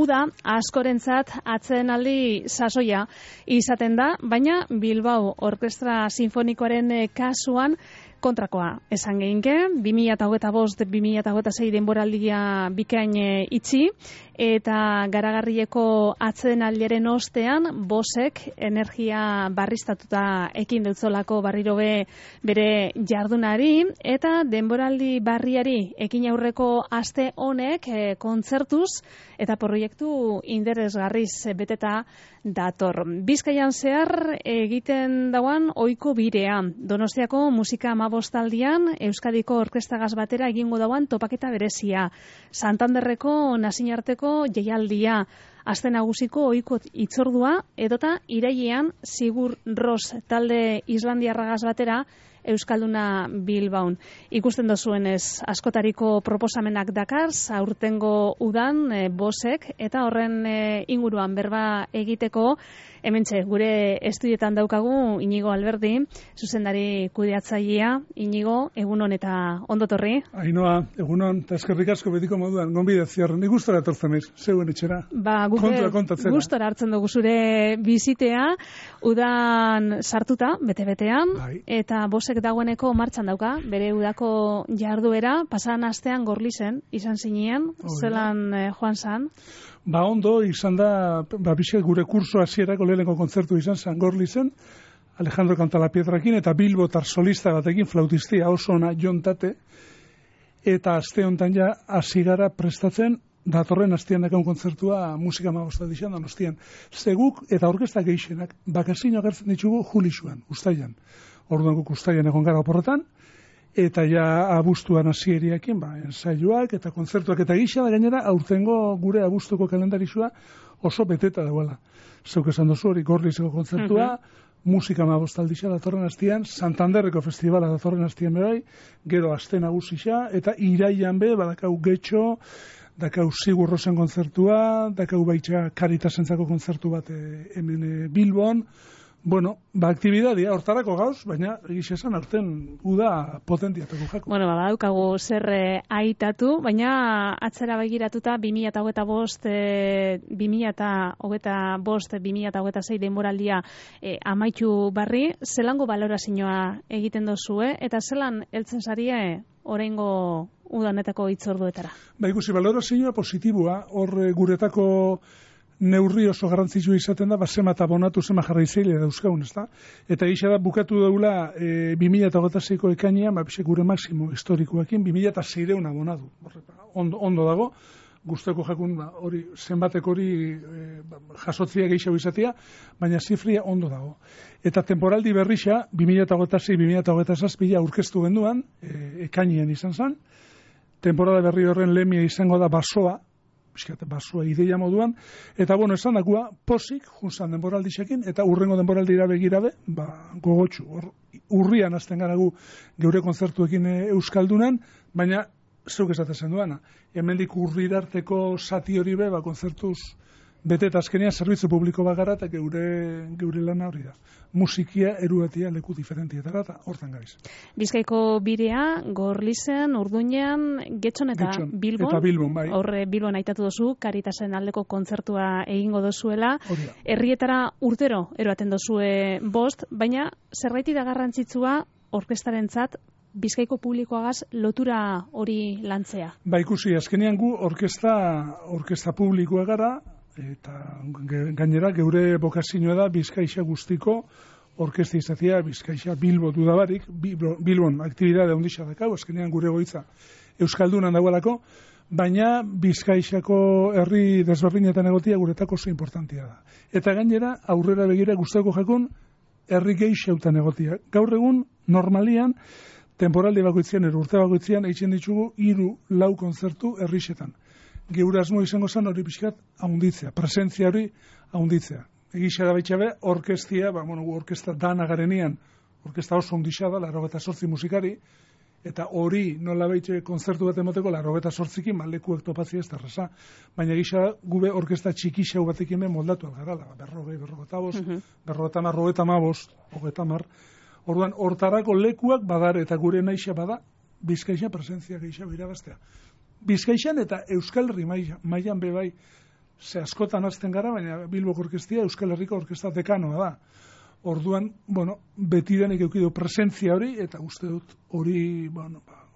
Uda askorentzat atsedenaldi sasoia izaten da, baina Bilbao Orkestra Sinfonikoaren kasuan kontrakoa esan geinke, 2025-2026 denboraldia bikain itxi, eta garagarrieko atsedenaldiaren ostean Bosek energia barriztatuta ekin deutzolako barriro bere jardunari, eta denboraldi barriari ekin aurreko aste honek kontzertuz eta proiektu interesgarriz beteta dator. Bizkaian zehar egiten dauan ohiko birea. Donostiako musika amabostaldian Euskadiko orkestagaz batera egingo dauan topaketa berezia. Santanderreko nazinarteko jaialdia. Aste nagusiko ohiko hitzordua edota irailean Sigur Ros talde islandiarragaz batera Euskalduna Bilbaun. Ikusten dozuenez, askotariko proposamenak dakar, aurtengo udan Bosek, eta horren inguruan berba egiteko, hementxe, gure estudietan daukagu Inigo Alberdi, zuzendari kudeatzailea. Inigo, egunon eta ondotorri. Ainhoa, egunon, eta eskerrik asko betiko moduan, gonbidatziar, nik gustora etortzen naiz, zeuen etxera. Guke gustora hartzen dugu zure bizitea, udan sartuta, bete-betean, eta Bosek dagoeneko martxan dauka, bere udako jarduera, pasan astean Gorlizen, izan zinean, zelan joan zan? Ondo, izan da, bizek gure kurso hasierako lehenengo kontzertu izan zan Gorlizen, Alejandro Cantalapietrakin, eta Bilbotar solista batekin, flautistia oso ona jontate, eta aste honetan ja hasi gara prestatzen, datorren astean dakan kontzertua musika amabostaldian Donostian. Zeguk eta orkestak gehienak bakasino agertzen ditugu Julisuan, Uztailan. Orduan guk Uztailan egon gara oporretan, eta ja abuztuan hasieriakin, ensailuak eta kontzertuak eta gisa da gainera aurtengo gure abuztuko kalendarizua oso beteta dagoela. Zeuk esan dozu hori Gorlizeko kontzertua, musika amabostaldia datorren astean, Santanderreko festivala datorren astean bebai, gero aste nagusisa, eta irailan badakau Getxo, dakau Sigur Rosen kontzertua, dakau baitxa Karitasentzako kontzertu bat hemen Bilbon. Aktibidadia hortarako gauz, baina egiz esan aurten uda potentiatuko jako. Badaukagu zer aitatu, baina atzera begiratuta 2025-2026 denboraldia amaitu barri, zelango balorazioa egiten dozue, eta zelan heltzen zarie oraingo udanetako hitzorduetara? Ikusi, balorazioa positiboa, hor guretako neurri oso garrantzitsua izaten da, zema eta abonatu zema jarraizaile dauzkagun, ezta? Eta gisa da, bukatu daula 2026ko ekainean, gure maksimo historikoekin, 2006 abonatu. Ondo dago, guzteko jakun, hori, zenbatek hori jasotzia gehiago izatea, baina zifria ondo dago. Eta temporaldi berrixa, 2026-2027 aurkeztu genduan, ekainean izan zen, temporada berri horren lemia izango da basoa ideia moduan, eta esan dakua, posik, junzan denboraldixekin, eta urrengo denboraldira begirabe, gogotxu, urrian azten gara gu geure kontzertuekin Euskaldunan, baina zeuk esatezen duana, hemendik urrirarteko zati hori kontzertuz beteta azkenean zerbitzu publiko bagara, eta geure lana hori da. Musikia eruatia leku diferentietara, eta hortan gaiz. Bizkaiko birea, Gorlizen, Urduñan, Getxon eta Bilbon. Eta Bilbon, bai. Horre Bilbon aitatu dozu, Karitasen aldeko kontzertua egingo dozuela. Herrietara urtero eroaten dozue bost, baina zerbaiti da garrantzitsua orkestarentzat Bizkaiko publikoagaz lotura hori lantzea. Ikusi, azkenean gu orkesta publikoa gara, eta gainera geure bokazioa da Bizkaixa guztiko orkesta izatea, Bizkaixa Bilbo dudabarik, Bilbon aktibidade ondisa dakau, azkenean gure goitza Euskaldunan dagoelako, baina Bizkaixako herri desberdinetan egotia guretako oso importantia da. Eta gainera aurrera begira guztako jakun herri gehixeutan egotia. Gaur egun normalian temporaldi bakoitzean, urte bakoitzean eitzen ditugu 3-4 kontzertu herrixetan. Geure asmo izango zen hori pixkat haunditzea, presentzia hori haunditzea. Egisa da baitxabe, orkestia, orkesta dana garenean, orkesta oso ondisa da, 88 musikari, eta hori nola baitxe konzertu bat emoteko, 88ekin, lekuek topatzia ez da reza. Baina egisa gube orkesta txikixau batekin moldatu algarala, 40, 50, orduan, hortarako lekuak badar eta gure naixa bada, Bizkaixa presentzia gehiago irabaztea. Bizkaixan eta Euskal Herri mailan bebai ze askotan hasten gara, baina Bilboko orkestia Euskal Herriko orkesta dekanoa da. Orduan, betidanik eukidu presentzia hori, eta uste dut hori,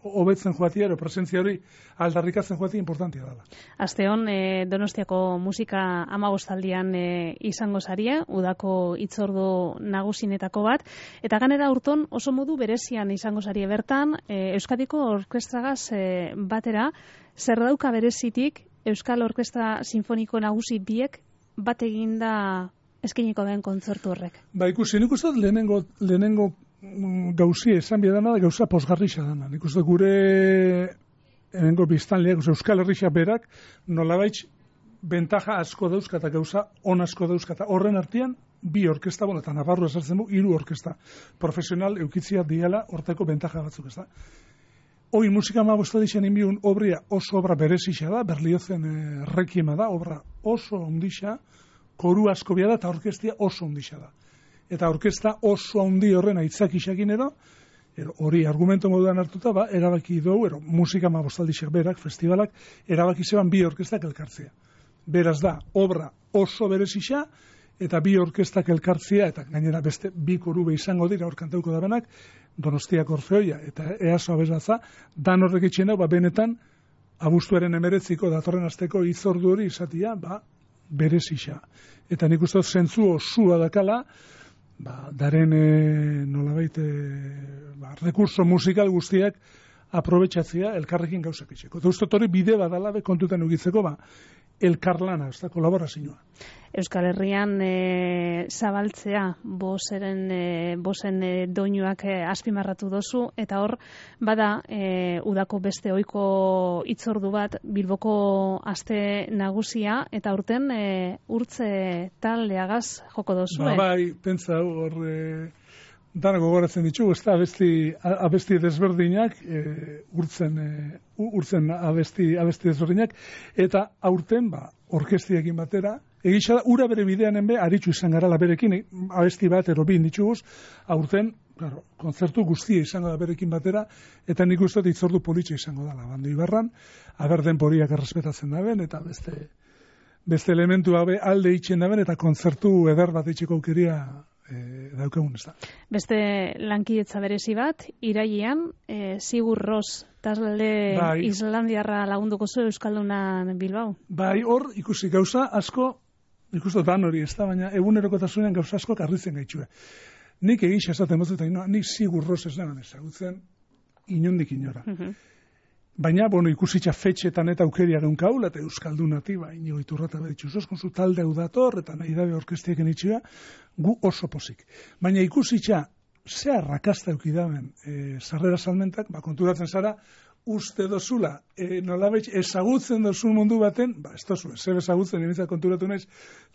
hobetzen joatia, presentzia hori aldarrikatzen joatia importantia dela. Asteon, Donostiako musika 15aldian izango zaria, udako hitzordu nagusinetako bat, eta ganera urton oso modu berezian izango zaria bertan, Euskadiko orkestragaz batera, zer dauka berezitik Euskal Orkestra Sinfoniko Nagusi biek bat eginda eskeniko den kontzertu horrek? Ikusi, nik uste lehenengo gauzi esan biedana da gauza posgarrixa dana. Nik uste gure hemengo biztanleak, Euskal Herria berak, nolabait bentaja asko dauzka eta gauza on asko dauzka. Horren artean, bi orkesta, eta Navarro esartzen du, 3 orkesta profesional eukitzia diala hortako bentaja batzuk, ez da. Hoi musika 15 inbiun obria oso obra berezixa da, Berliozen rekiema da, obra oso ondixa, koru asko bia da, eta orkestia oso ondixa da. Eta orkesta oso handi horren aitzak isakin hori argumento moduan hartuta, erabaki dugu, musika 15 berak, festivalak, erabaki zeban bi orkestak elkartzea. Beraz da, obra oso berezixa, eta bi orkestak elkartzea, eta gainera beste bi korube izango dira hor kantauko da benak, Donostiak Orfeoia eta EASO abesatza, dan horrek itxena, benetan, abuztuaren 19 datorren asteko hitzordu hori izatia, berezixa. Eta nik uste zentzu osua dakala, daren nolabait rekurso musikal guztiak aprobetxatzea elkarrekin gauzak itxeko. Eta uste hori bide badala kontutan ugitzeko, elkarlana, ez da, kolaborazioa. Euskal Herrian zabaltzea bosen doinuak azpimarratu dozu, eta hor, bada udako beste ohiko hitzordu bat Bilboko aste nagusia, eta urten urtze taldeagaz joko dozu. Pentsa hor dana gogoratzen ditugu, ez da abesti desberdinak, urtzen abesti desberdinak, eta aurten, orkestiekin batera, egitza da, ura bere bidean aritzu izan garala berekin, abesti bat, bin dituguz, aurten, kontzertu guztia izango da berekin batera, eta nik uste hitzordu politxe izango dela, Bando Ibarran, denporiak errespetatzen daben, eta beste elementu alde itxen daben, eta kontzertu eder bat itxeko aukeria daukagun, ez da. Beste lankidetza berezi bat, irailean, Sigur Ros talde islandiarra lagunduko zu Euskaldunan Bilbao. Hor ikusi gauza asko, ikusten dan hori, ez da, baina egunerokotasunean gauza asko karritzen gaitxue. Nik egisa esaten bozut, nik Sigur Ros ez nagan ezagutzen inondik inora. Baina, ikusitza fetxetan eta aukeria geunkaula, eta Euskaldunati, inigo iturrata behitxuz, oskonzu talde hau dator, eta nahi dabe orkestieken itxua, gu oso pozik. Baina ikusitza, zea rakasta eukidaben sarrera salmentak, konturatzen zara, uste dozula, nolabait ezagutzen dozun mundu baten, ez dozu, zer ezagutzen, nimitzat konturatu naiz,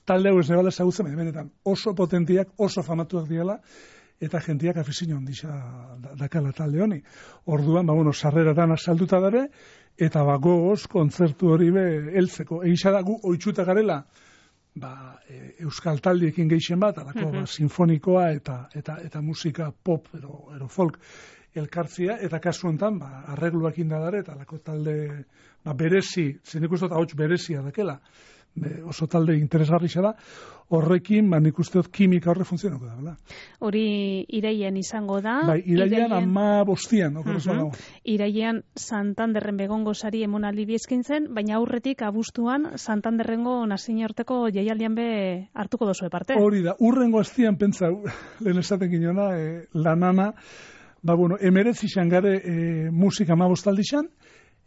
talde hau ez nebala ezagutzen, baina benetan oso potentiak, oso famatuak diala, eta jentiak afizio ondisa dakala talde honi. Orduan, sarrera dana salduta dare, eta gogoz kontzertu hori heltzeko. Egisa da gu oitzuta garela, euskal taldiekin geixen bat, alako sinfonikoa eta musika pop ero folk elkartzia, eta kasu honetan, arregluak indadare, eta alako talde berezi, zenik uste hauts berezia dakela, oso talde interesgarri da, horrekin, nik uste dut kimika horre funtzionako da. Hori irailean izango da. Irailean 15an. Irailean Santanderren begongo sari emonaldi bizkintzen, baina aurretik abuztuan Santanderrengo nazioarteko jaialdian be hartuko dozu parte. Hori da, urrengo astian pentsa, lehen esaten ginona, lanana, 19 gare musika 15 aldixan,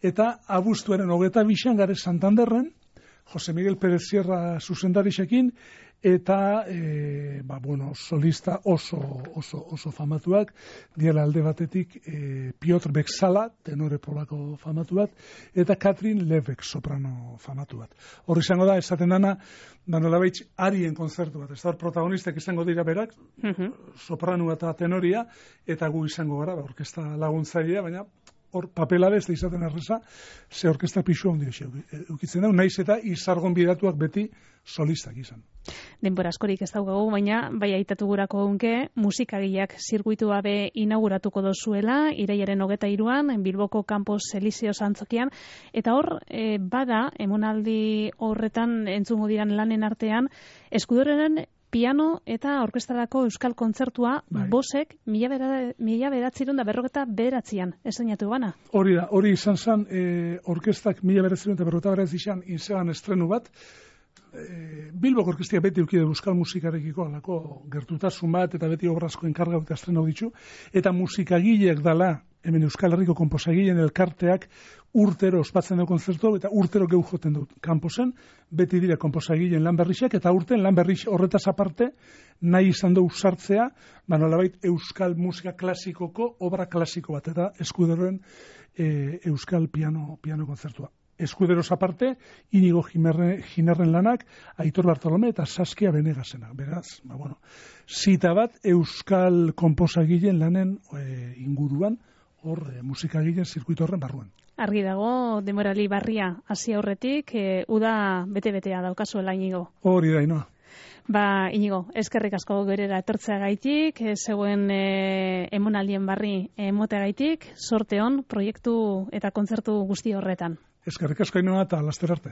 eta abuztuaren 22 gare Santanderren, Jose Miguel Pérez Sierra zuzendarixekin, eta solista oso famatuak, diela alde batetik Piotr Beksala, tenore polako famatu bat, eta Katrin Levek soprano famatu bat. Horri izango da, esaten dana, nolabait arien konzertu bat, ez da hor protagonistak izango dira berak, soprano eta tenoria, eta gu izango gara, orkesta laguntzailea, baina hor papela ez da izaten erreza, ze orkestra pixua handi eukitzen da, naiz eta izargon bidatuak beti solistak izan. Denbora askorik ez daukagu, baina bai aitatu gurako unke, musikagileak zirkuitua be inauguratuko dozuela, iraiaren 23an, Bilboko Campos Elíseos antzokian, eta hor, bada, emonaldi horretan entzungo diran lanen artean, Eskudoren piano eta orkestrarako euskal kontzertua bosek 1949an esainatu bana. Hori da, hori izan zen orkestak 1949 izan inzean estrenu bat. Bilboko orkestia beti eukide euskal musikarekiko alako gertutasun bat eta beti obrazko enkargau eta estrenu ditu. Eta musikagileak dala, hemen Euskal Herriko konposagileen elkarteak urtero ospatzen du kontzertu eta urtero geu joten dut kanposen, beti dira konposagileen lan berrixak eta urten lan berrix horretaz aparte nahi izan du sartzea, nolabait euskal musika klasikoko obra klasiko bat eta Eskuderoen euskal piano kontzertua. Eskuderos aparte, Inigo Ginerren lanak, Aitor Bartolome eta Saskia Benegasena. Beraz, zita bat euskal konposagileen lanen inguruan, hor musikagileen zirkuito horren barruan. Argi dago, denborali barria hasi aurretik, uda bete-betea daukazuela, Inigo. Hori da, Inoa. Inigo, eskerrik asko gerera etortzeagaitik, zeuen emonaldien barri emoteagaitik, sorte on, proiektu eta kontzertu guzti horretan. Eskerrik asko, Inoa, eta laster arte.